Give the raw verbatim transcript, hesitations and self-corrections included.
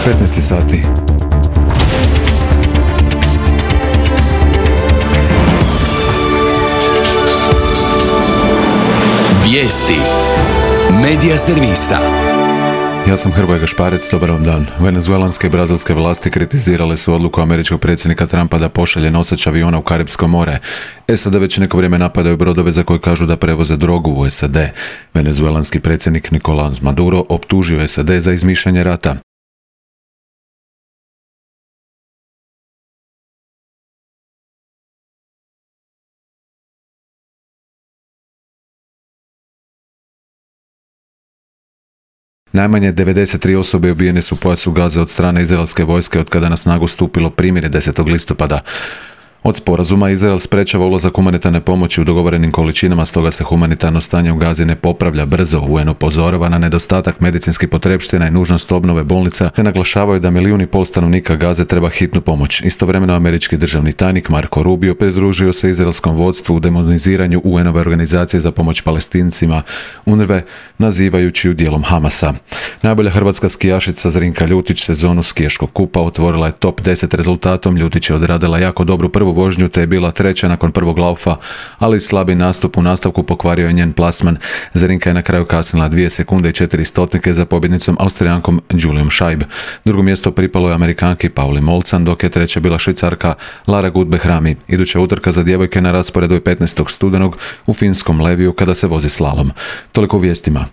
petnaest sati. Vijesti Medija servisa. Ja sam Hrvoje Gašparec, dobar vam dan. Venezuelanske i brazilske vlasti kritizirale su odluku američkog predsjednika Trumpa da pošalje nosač aviona u Karipsko more. S A D već neko vrijeme napadaju brodove za koje kažu da prevoze drogu u S A D. Venezuelanski predsjednik Nicolás Maduro optužio S A D za izmišljanje rata. Najmanje devedeset tri osobe ubijene su u pojasu Gaze od strane izraelske vojske od kada na snagu stupilo primirje desetog listopada. Od sporazuma Izrael sprečava ulazak humanitarne pomoći u dogovorenim količinama, stoga se humanitarno stanje u Gazi ne popravlja brzo. U N upozorava na nedostatak medicinskih potrepština i nužnost obnove bolnica, te naglašavaju da milijun i pol stanovnika Gaze treba hitnu pomoć. Istovremeno američki državni tajnik Marco Rubio pridružio se izraelskom vodstvu u demoniziranju U N-ove organizacije za pomoć Palestincima UNRWA, nazivajući ju dijelom Hamasa. Najbolja hrvatska skijašica Zrinka Ljutić sezonu skijaškog kupa otvorila je top deset rezultatom. Ljutić je odradila jako dobru prvu vožnju te je bila treća nakon prvog laufa, ali slabi nastup u nastavku pokvario je njen plasman. Zrinka je na kraju kasnila dvije sekunde i četiri stotnike za pobjednicom Austrijankom Julijom Scheib. Drugo mjesto pripalo je Amerikanki Pauli Molcan, dok je treća bila Švicarka Lara Gut-Behrami. Iduća utrka za djevojke na rasporedu je petnaestog studenog u finskom Leviju kada se vozi slalom. Toliko u vijestima.